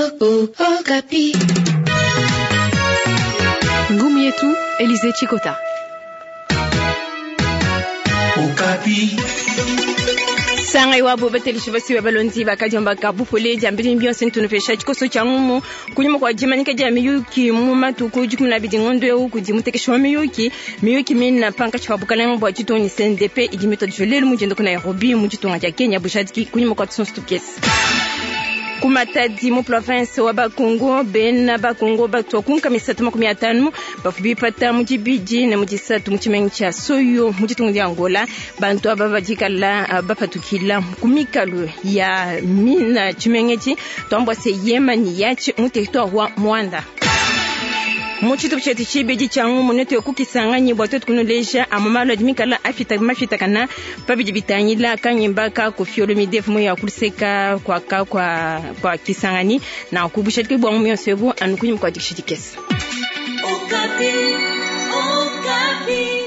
Okapi. Ngumu yetu Elize Chikota. Okapi. Sanga iwabo batelishi basiwe balonzi bakadiomba bupole diambili bionse ntunupesha tshikoso tshia ngumu kunyuma kwa dimanyika dia miyuki mu matuku 12 ngondo eu kudi mutekeshi wa miyuki miyuki mina pankatshi pa bukalenga bua ditunga CNDP idi mitodijwe lelu mu dienda ku Nairobi mu ditunga dia Kenya bujadiki kunyuma kua tusonso tukese ku Matadi mu province wa Bakongo bena Bakongo batua kunka misatu 50 bafu bipata mu dibidi ne mu disatu mu tshimenga tshia Soyo mu ditunga dia Angola. Bantu aba badikala bapatukila ku mikalu ya mina tshimenga etshi tuambua se yema ni yatshi mu territoire wa Mwanda. Mu tshitupa tshietu tshibidi tshia ngumu netu kukisanganyibwa bua tuetu kunuleja amwe malu adi mikala afita mafitakana pabidi bitangila kanyimba ka Koffi Olomide mu ya kuluseka kwa ka kwa kwa Kisangani na kubushadiki bwa ngumu yonso ebu anu kunyima kua dikisha dikese. Okapi. Okapi.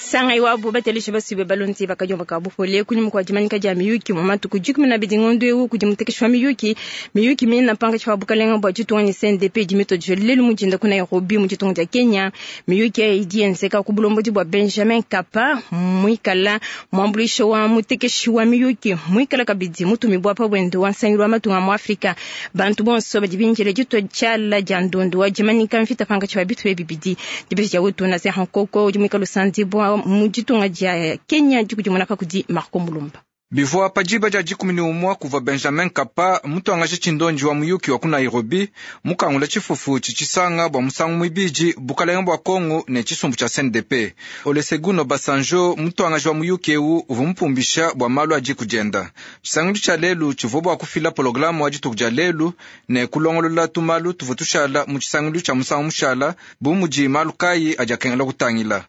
Sanga iwabo batelishi basibe balonzi bakadiomba ka bupole kunyima kua dimanyika dia miyuki mu matuku 12 ngondo eu kudi mutekeshi wa miyuki miyuki mina pankatshi pa bukalenga bua ditunga ne CNDP idi mitodijwe lelu mu dinda ku Nairobi mu ditunga dia Kenya. Miyuki eyi idi yenzeka ku bulombodi bua Benjamin Kapa muikala muambuluishi wa mutekeshi wa miyuki muikala kabidi mutumibua pa buende wa nsangilu wa matunga mu Afrika. Bantu bonso badi binjila ditua tshiala dia ndondu wa dimanyika mvita pankatshi pa bitupa bibidi dibeji dia wetu Nazer Nkoko udi muikala usandibua mu ditunga dia Kenya dikudimuna pa kudi Marco Mulumba. Bivua pa diba dia 11 kuvua Benjamin Kapa mutuangaji tshindonji wa muyuki wa ku Nairobi mukangula tshifufu tshitshisanga bua musangu muibidi bukalenga bua Kongo ne tshisumbu tshia CNDP. Olusegun Obasanjo mutuangaji wa muyuki eu uvua mupumbisha bua malu a diku dienda. Tshisangilu tshia lelu tshivua bua kufila pologramu wa dituku dia lelu ne kulongolola tumalu tuvua tushala mu tshisangilu tshia musangu mushala bu mudi malu kayi adi akengela kutangila.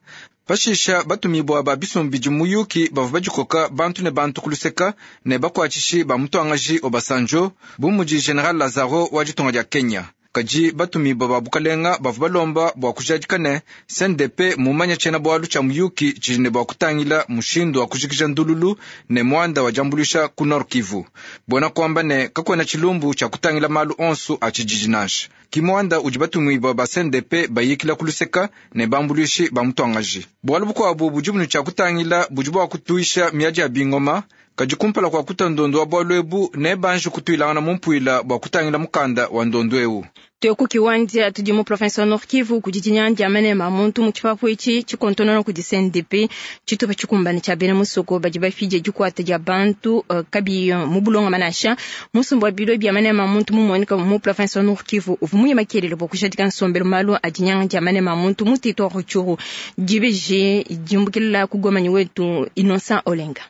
Pashisha batumibua ba bisumbu bidi muyuki bavua badikoka bantu ne bantu kuluseka ne bakuatshishi ba mutuangaji Obasanjo bu mudi General Lazaro wa ditunga dia Kenya. Kadi batumibua ba bukalenga bavua balomba bua kujadika ne CNDP mumanya tshiena bualu tshia muyuki tshidi ne bua kutangila mushindu wa kujikija ndululu ne muanda wa diambuluisha ku Nord Kivu. Buena kuamba ne kakuena tshilumbu tshia kutangila malu onsu a tshididi nansha. Ki muanda udi batumibua ba CNDP bayikila kuluseka ne bambuluishi ba mutuangaji. Bualu bukuabu budi bunu tshia kutangila budi bua kutuisha miadi ya bingoma. Kadi kumpala kua kuta ndondo wa bualu ebu ne banji kutuilangana mu mpuila bua kutangila mukanda wa ndondo eu. Tueku kiwanja tudi mu province wa Nord Kivu kudi dinyanga dia manema muntu mu tshipapu etshi tshikontonona kudi CNDP tshitupa tshikumbane tshia bena musoko badi bafidie dikuata dia bantu kabi mu bulonga manasha musumbu wa bilo bia manema muntu mumuoneka mu province wa Nord Kivu uvua muye makelele bua kujadika nsombelu malu a dinyanga dia manema muntu mu territoire Rutshuru dibeji diumbukila ku Goma wetu Innocent Olenga.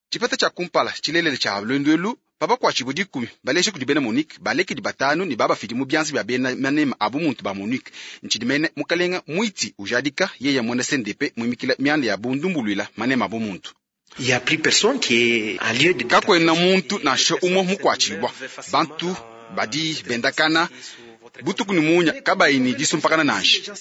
Tshipeta tshia kumpala tshilelele tshia lwendu elu babakuatshibue 10 baleshe kudi bena Monique balekedi 5 ne babafidi mu bianza bia bena manema abu muntu ba Monique ntshidi mene mukalenga mwiti ujadika yeye mwena CNDP mwimikila mianda ya bundumbuluila manema abu muntu. Kakuena muntu nansha umwe mukuatshibua bantu badi bendakana butuku ni munya kabayi ni disumpakana nansha.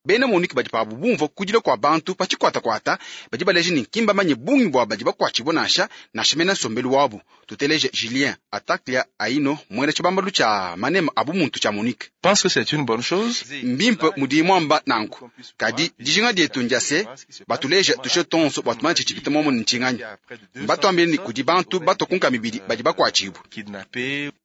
Bena Monique badi pabu bumvua kudila kua bantu pa tshikwatakwata badi baleje ni nkimba manye bungi bua badi bakuatshibua nansha nansha mena nsombelu wabu. Tuteleje Julien Ataklia Aino mwena tshibambalu tshia manema abu muntu tshia Monique. Pense que c'est une bonne chose. Mbimpe mudi mwamba nanku kadi dijinga dietu ndia se batuleje tushe tonso bua tumanye tshitshipita momo ni ntshinganya. Mbatuambile ni kudi bantu batokunka mibidi badi bakuatshibua.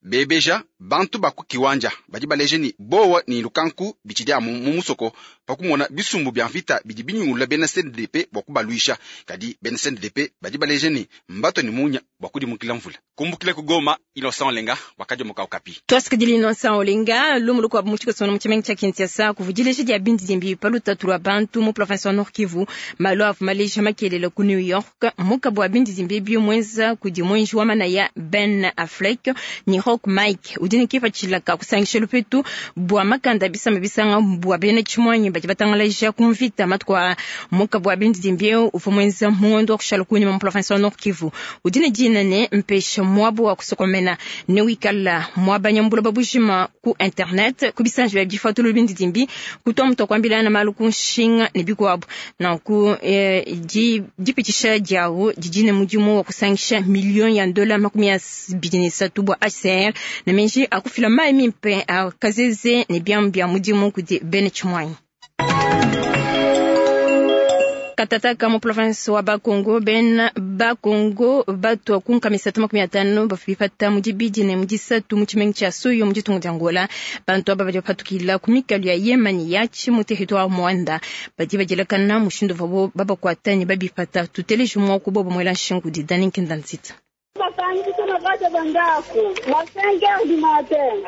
Bebeja bantu baku kiwanja badi baleje ni bowa ni lukanku bitshidi amu mu musoko pakumona bisumbu bia mvita bidi binyungulula bena CNDP bua kubaluisha. Kadi bena CNDP badi baleje ni mbato ni munya bua kudimukila mvula. Kumbukile ku Goma, Innocent Olenga wakadiomoka Okapi. Twasikidili Innocent Olenga lumu lukuabu mu tshikoso mu tshimenga tshia Kinshasa kuvudileja dia bindidimbi pa lutatu lua bantu mu province wa Nord Kivu malu avua maleja makelele ku New York mukabu wa bindidimbi ebi muenza kudi mwenji wa manaya Ben Affleck ni Rock Mike udi ne kipatshila ka kusangisha lupetu bua makanda bisamba bisanga bua bena tshimuanyi badi batangalaja ku mvita matuku a mukabu wa bindidimbi eu uvua muenza mu ngondo wa kushala kunyima mu province wa Nord Kivu udi ne dina ne mpesha Muaba wa kusokomena newikala muabanya mu buloba bujima ku internet, ku bisanji bia difatulu bindidimbi, kutua mutu akuambilana malu ku nshinga ne bikuabu. Nanku dipitshisha diawu didi ne mudimu wa kusangisha miliyo ya dola 23 bua HCR ne menji akufila mayi mimpe a kazeze ne biamu bia mudimu kudi bena tshimuanyi. Katataka mu province wa Bakongo, bena Bakongo batua ku 350 bafipata mu dibidi ne mu disatu mu tshimenga tshia Soyo mu ditunga dia Angola. Bantu aba badi bapatukila ku mikalu ya Yemani ya mu territoire Mwanda, badi badielakana mushindu uvuabo babakuata ne babipata. Tuteleje muaku bobo muela nshingu di Dani Nkinda Nzita.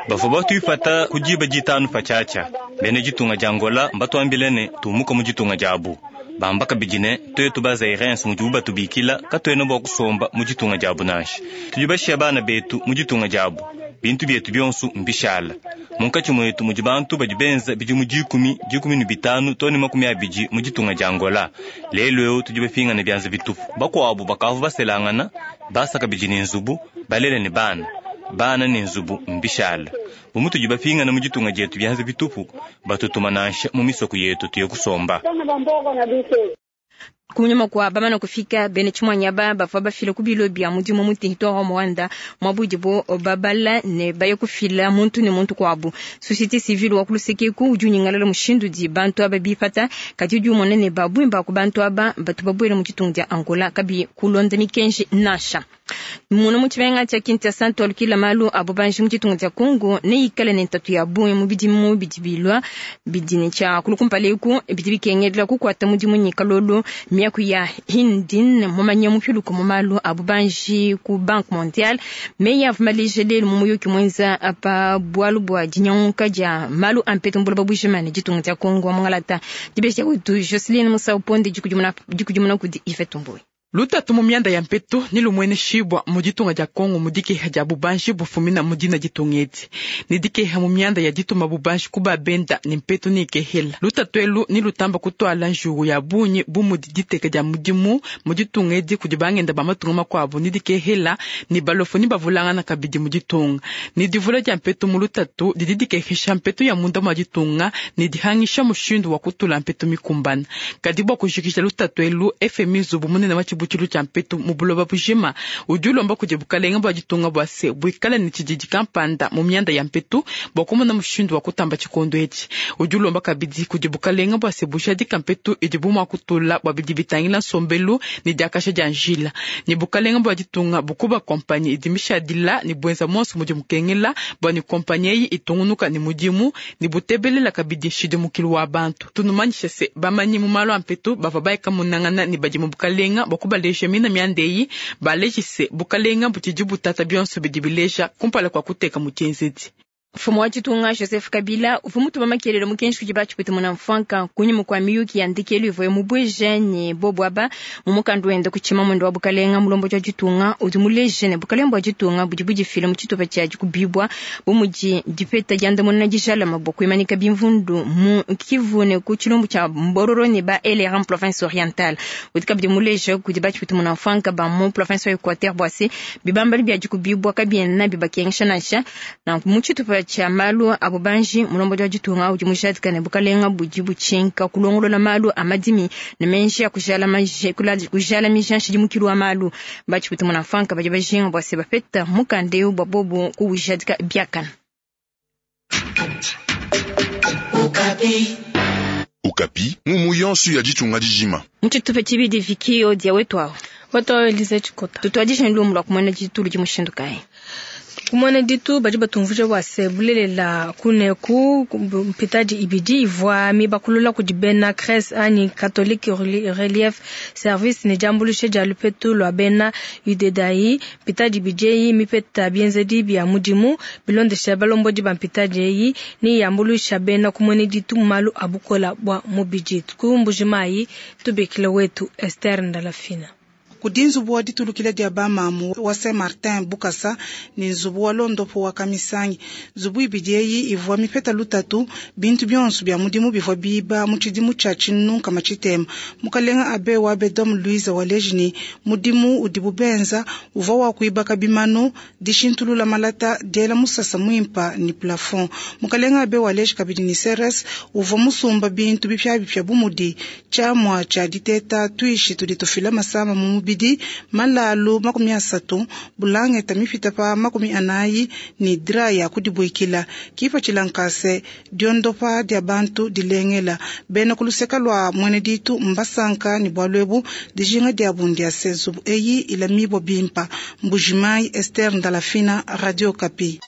Bavua batuipata ku diba ditanu patshiatshia. Bena ditunga dia Angola mbatuambile ne tumuka mu ditunga diabu. Bamba kabidi ne tuetu ba Zairens mudibu batubikila katuena bua kusomba mu ditunga diabu nansha. Tudi bashiya bana betu mu ditunga diabu, bintu bietu bionso mbishala. Munkatshi muetu mudi bantu badi benza bidimu 10, 15 to ne 20 mu ditunga dia Angola. Lelu eu tudi bapingane bianza bitupu. Bakuabu bakavua baselangana, basa kabidi ne nzubu, balele ne bana. Bana ne nzubu mbishala. Bu mutudi bapingana mu ditunga dietu bianza bitupu, batutuma nansha mu misoko yetu tuye kusomba. Kunyima kua bamana kufika bena tshimuanyi aba bavua bafila ku bilo bia mudimu mu territoire wa Mwanda, muabu udibo babala ne baye kufila muntu ne muntu kuabu. Société civile wa ku udi unyingalala mushindu di bantu aba bipata, kadi udi umona ne babwimba ku bantu aba batu babuele mu ditunga dia Angola kabi kulonda mikenji nansha. Muna mu tshimenga tshia Kinshasa tualukila malu abo banji mu ditunga dia Congo ne ikale ne ntatu ya bungi mu bidimu bidi bilua bidi ne tshia kulukumpala eku bidi bikengela kukuata mudimu ne kalolo. Miaku ya Hindin mumanya mupiluka mu malu abo banji ku Banque Mondiale meyi avua maleja lelu mu muyuki muenza pa bualu bua dinyanguka dia malu a mpetu mu buloba bujima ne ditunga dia Congo wa mungalata. Dibeji dia wetu Joseline Musau Ponde dikudimuna kudi Yvette Mboy. Lutatu mu mianda ya mpetu ni lumwene shibwa mu ditunga dia Kongo mu dikeha dia bubanji bufumina mu dina ditunga edi. Ni dikeha mu mianda ya dituma bubanji ku babenda ni mpetu ni ikehela. Lutatu elu ni lutamba kutwala njugu ya bunyi bu mudi diteka dia mudimu mu ditunga edi kudi bangenda ba matunga makuabu ni dikehela ni balofu ni bavulangana kabidi mu ditunga. Ni divula dia mpetu mu lutatu didi dikehesha mpetu ya munda mwa ditunga ni dihangisha mushindu wa kutula mpetu mikumbana. Kadi bua kujikija lutatu elu FMI nzubu munene wa tshibutshilu tshia mpetu mu buloba bujima udi ulomba kudi bukalenga bua ditunga bua se buikale ne tshididi kampanda mu mianda ya mpetu bua kumona mushindu wa kutamba tshikondo etshi. Udi ulomba kabidi kudi bukalenga bua se bujadika mpetu idibu mua kutula bua bidi bitangila nsombelu ne diakasha dia njila. Ne bukalenga bua ditunga bukuba kompanyi idi mishadila ne buenza monso mudi mukengela bua ne kompanyi eyi itungunuka ne mudimu ne butebelela kabidi nshidimukilu wa bantu. Tunumanyishe se bamanyi mu malu a mpetu bavua bayeka munangana ne badi mu bukalenga bua kubaleja mina mianda eyi, balejise bukalenga butshidi butata bionso bidi bileja kumpala kua kuteka mu tshienzedi. Mfumu wa ditunga Joseph Kabila uvua mutuma makelelo mukenji kudi batshipwita muna mfwanka kunyima kua miyuki ya ndekelu ivuaye mubueje ne bobu aba mu mukandu wenda ku tshimamwendo wa bukalenga. Mulombodi wa ditunga udi muleje ne bukalenga bua ditunga budi budifila mu tshitupa tshia dikubibua bu mudi dipeta diandamuna dijalama bua kuimanika bimvundu mu Kivu ne ku tshilumbu tshia Mbororo ne ba LRA mu province orientale. Udi kabidi muleje kudi batshipwita muna mfwanka ba mu province wa Equateur bua se bibambali bia dikubibua kabiena bibakengesha nansha. Nanku mu tshitupa tshia malu a bubanji mulombodi wa ditunga udi mujadika ne bukalenga budi butshinka kulongolola malu a madimi ne menji ya kujalamija nshidimukilu wa malu. Batshipwita muna mfwanka badi bajinga bua se bapeta mukanda eu bua bobu kuwujadika biakana. Okapi. Okapi, mumu yonso ya ditunga dijima. Mu tshitupa tshibidi vikio dia wetu awo. Wetu awo Elize Tshikota. Tutuadije lumu lua kumona ditulu di mushindu kayi? Kumona ditu badi batumvuje bua se bulelela kuneku mpitadi ibidi ivua mibakulula kudi bena Cresse anyi Catholic Relief Service ne diambuluisha dia lupetu lua bena Udedai. Mpitadi ibidi eyi mipeta bienzedi bia mudimu bilondesha balombodi ba mpitadi eyi ne yambuluisha bena kumona ditu mu malu a bukola bua mubidi. Ku Mbujimayi tubikile wetu Esther Ndalafina. Kudi nzubu wa ditulukila dia bamamu wa Saint Martin Bukasa ne nzubu wa londopo wa Kamisangi. Nzubu ibidi eyi ivua mipeta lutatu, bintu bionso bia mudimu bivua biba mu tshidimu tshia 60. Mukalenga Abe wa Bedom Louise waleji ne mudimu udibu benza uvua wa kuibaka bimanu, dishintulula malata, diela musasa muimpa ne plafond. Mukalenga Abe waleji kabidi ne CRS uvua musumba bintu bipiabipia bu mudi tshiamua tshia diteta, tuishi tudi tufila masama mu mubidi, malalu 30, bulangeta mipita pa 40 ne drap ya kudibuikila. Kipatshila nkase diondopa dia bantu dilengela. Bena ku luseka lua mwene ditu mbasanka ne bualu ebu, dijinga diabu ndia se nzubu eyi ilamibua bimpa. Mbujimayi, Esther Ndalafina, Radio Okapi.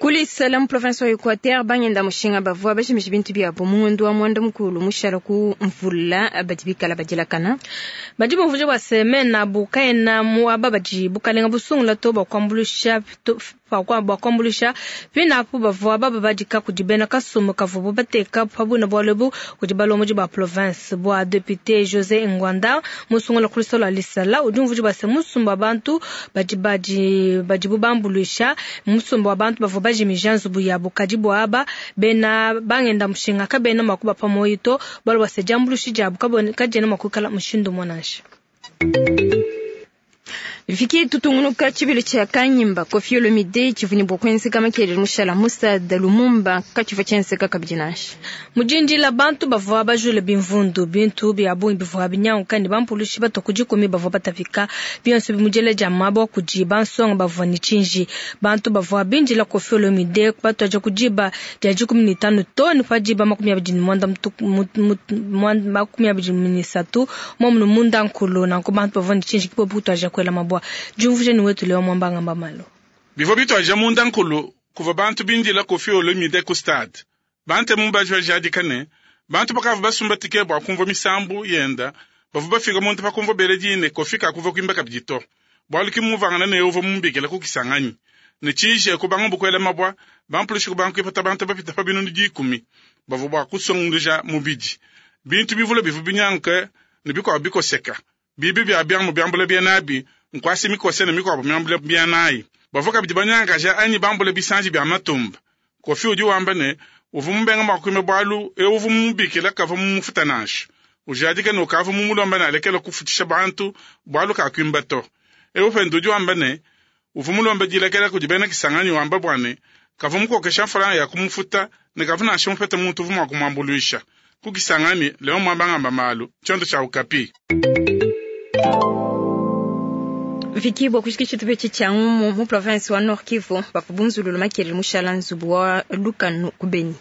Kulisala mu province wa Equateur bangenda mushinga bavua bajimije bintu biabo mu ngondo wa mwanda mukulu mushala ku mvula badi bikala badilakana. Badi bumvuija bua se mena abu kaena muaba badi bukalenga busungula to bua kuambuluisha to, bua kuambuluisha pina apu bavua bababadika kudi bena kasumbu kavuabu bateka pa buina bualu ebu kudi balombodi ba province. Bua député José Ngwanda musungula ku lusolo lua Lisala udi umvuija bua se musumba wa bantu badi badi badibu bambuluisha musumba wa bantu bavua bajimija nzubu yabo, kadi bua aba bena bangenda mushinga kabena mua kubapa muoyo to, bualu bua se diambuluishi diabu kadiena mua kuikala mushindu umue nansha. Viki tutungunuka tshibilu tshia kanyimba Koffi Olomide tshivua ne bua kuenzeka makelele mushala mu stade Lumumba katshivua tshienzeka kabidi nansha. Mudindila bantu bavua bajule bimvundu, bintu bia bungi bivua binyanguka ne bampulushi batua ku dikumi bavua batapika bionso bimudiela dia mabua kudi bansonga bavua ne tshinji. Bantu bavua bindila Koffi Olomide batuaja ku diba dia 15 to ne pa diba 23 momunu munda nkulu, nanku bantu bavua ne tshinji kibobu kutuaja kuela mabua. Diumvuija ni wetu leo mwamba ngamba malo. Bivua bituaja munda nkulu kuvua bantu bindila Koffi Olomide ku stade. Bante mumbaji bajadika ne bantu bakavua basumba tike bua kumvua misambu yenda bavua bafika muntu pakumvua bele dine Koffi kakuvua kuimba kabidi to. Bualu ki muvangana ne uvua mumbikila ku Kisangani. Ne tshije kubanga bukwela mabua bampulushi kubanga kuipata bantu bapita pa binunu 10 bavua bua kusunguluja mubidi. Bintu bivule bivua binyanguke ne bikuabu bikoseka. Bibi bia biamu biambula bia nabi nkwasi mikose ne mikuabu miambula bia nayi. Bavua kabidi banyangaja anyi bambula bisanji bia matumba. Koffi udi wamba ne uvua mubenga mua kuimba bualu eu uvua mumubikila kavua mumufuta nansha. Ujadika ne ukavua mumulomba ne alekela kufutisha bantu bualu kakuimba to. Eu pende udi wamba ne uvua mulomba dilekela kudi bena Kisangani wamba bua ne kavua mukokesha mfranga ya kumufuta ne kavua nansha mupete muntu uvua mua kumuambuluisha. Ku Kisangani leo mwamba ngamba malu tshiondo tshia Okapi. Viki bua kushikisha tupetshi tshia ngumu mu province wa Nord Kivu bavua bunzululu makelele mushala nzubu wa lukanu ku Beni.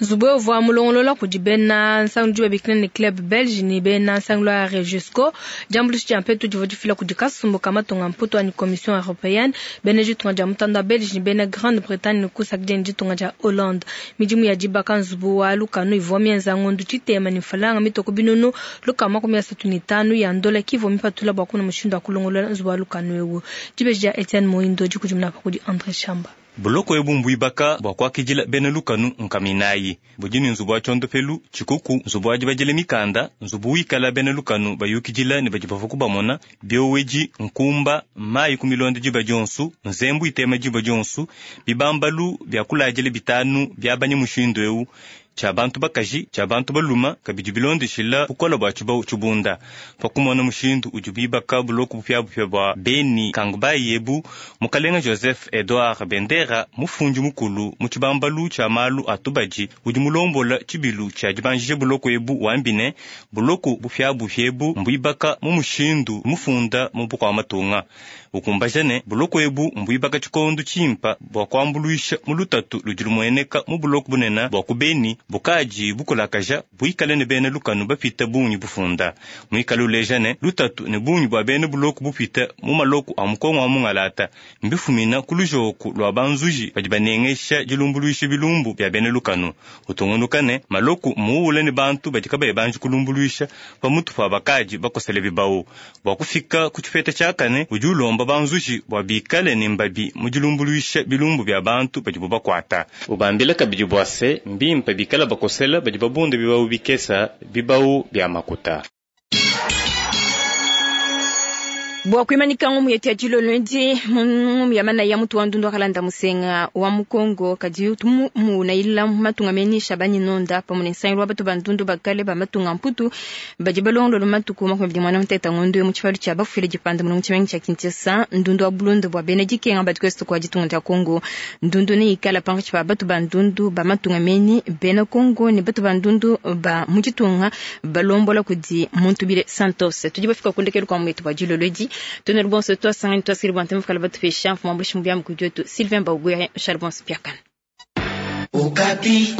Nzubu uvua mulongolola kudi bena nsangu diba bikila ne club belge ne bena nsangu lwa Regisco. Diambuluisha dia mpetu divua difila kudi kasumbu ka matunga mputu anyi commission européenne, bena ditunga dia mutanda wa Belge ne bena Grande-Bretagne ne kusakidila ne ditunga dia Hollande. Midimu ya dibaka nzubu wa lukanu ivua mienza ngondu tshitema ne mfalanga mitoko binunu lukama 35 ya ndola kivua mipatula bua kuna mushindu wa kulongolola nzubu wa lukanu ewu. Dibeji dia Etienne Moindo dikudimuna pa kudi André Chamba. Buloko ebu mbuibaka bua kuakidila bena lukanu nkaminayi. Budi ne nzubu wa tshondopelu, tshikuku, nzubu wa dibadila mikanda, nzubu wikala bena lukanu bayukidila ne badi bavua kubamona, bioweji, nkumba, mayi ku milonda diba dionsu, nzembu itema diba dionsu, bibambalu bia kuladila bitanu bia mushindu ewu, tshia bantu bakaji, tshia bantu baluma, kabidi bilondeshila bukola bua tshibau tshibunda. Pakumona mushindu udi bibaka buloko bupiabupia bua Beni Kangbayi ebu, mukalenga Joseph Edouard Bendera mufundi mukulu mu tshibambalu tshia malu a tubadi udi mulombola tshibilu tshia dibanjisha buloko ebu wambine buloko bupiabupia ebu mbuibaka mu mushindu mufunda mu bukua matunga. Ukumbaja ne buloko ebu mbuibaka tshikondo tshimpa bua kuambuluisha mu lutatu ludi lumueneka mu buloko bunene bua ku Beni bukaji bukulakaja buikale ne bena lukanu bapita bungi bufunda. Muikale uleja ne lutatu ne bungi bua bena buloko bupita mu maloko a mukongo wa mungalata mbifumina ku lujoku lua banzuji badi banengesha dilumbuluisha bilumbu bia bena lukanu. Utungunuka ne maloko muule ne bantu badi kabayi banji kulumbuluisha pamutu pa bakaji bakosele bibau. Bua kufika ku tshipeta tshiakane udi ulomba banzuji bua bikale ne mbabi mu dilumbuluisha bilumbu bia bantu badibu bakuata. Ubambila kabidi bua se mbimpe bikala bakosela badi babunda bibau bikesa bibau bia makuta. Bua kuimanyika ngumu yetu ya dilolo edi, ngumu ya manaya mutu wa ndundu akalanda musenga wa mukongo kadi tumunayila matunga meni Shabani Nonda pamwe ne nsangilu wa batu ba ndundu bakale ba matunga mputu badi balongolola matuku 23 ngondo mu tshipalu tshia bafwile dipanda mulongo tshimenga tshia Kinshasa. Ndundu wa bulundu bua bena dikenga badi kwestu kwa ditunga dia Kongo. Ndundu ne ikala pankatshi pa batu ba ndundu ba matunga meni bena Kongo ne batu ba ndundu ba mu ditunga balombola kudi Muntubile Santos. Tudi bafika kundekelu kwa mwetu wa dilolo edi. Tonel bonso twasangani twasili bwa ntemu fukala batupesha mfumu ambulishi mubyamu kudiotu Sylvain Baugwere Charbon Spiakana. Okapi.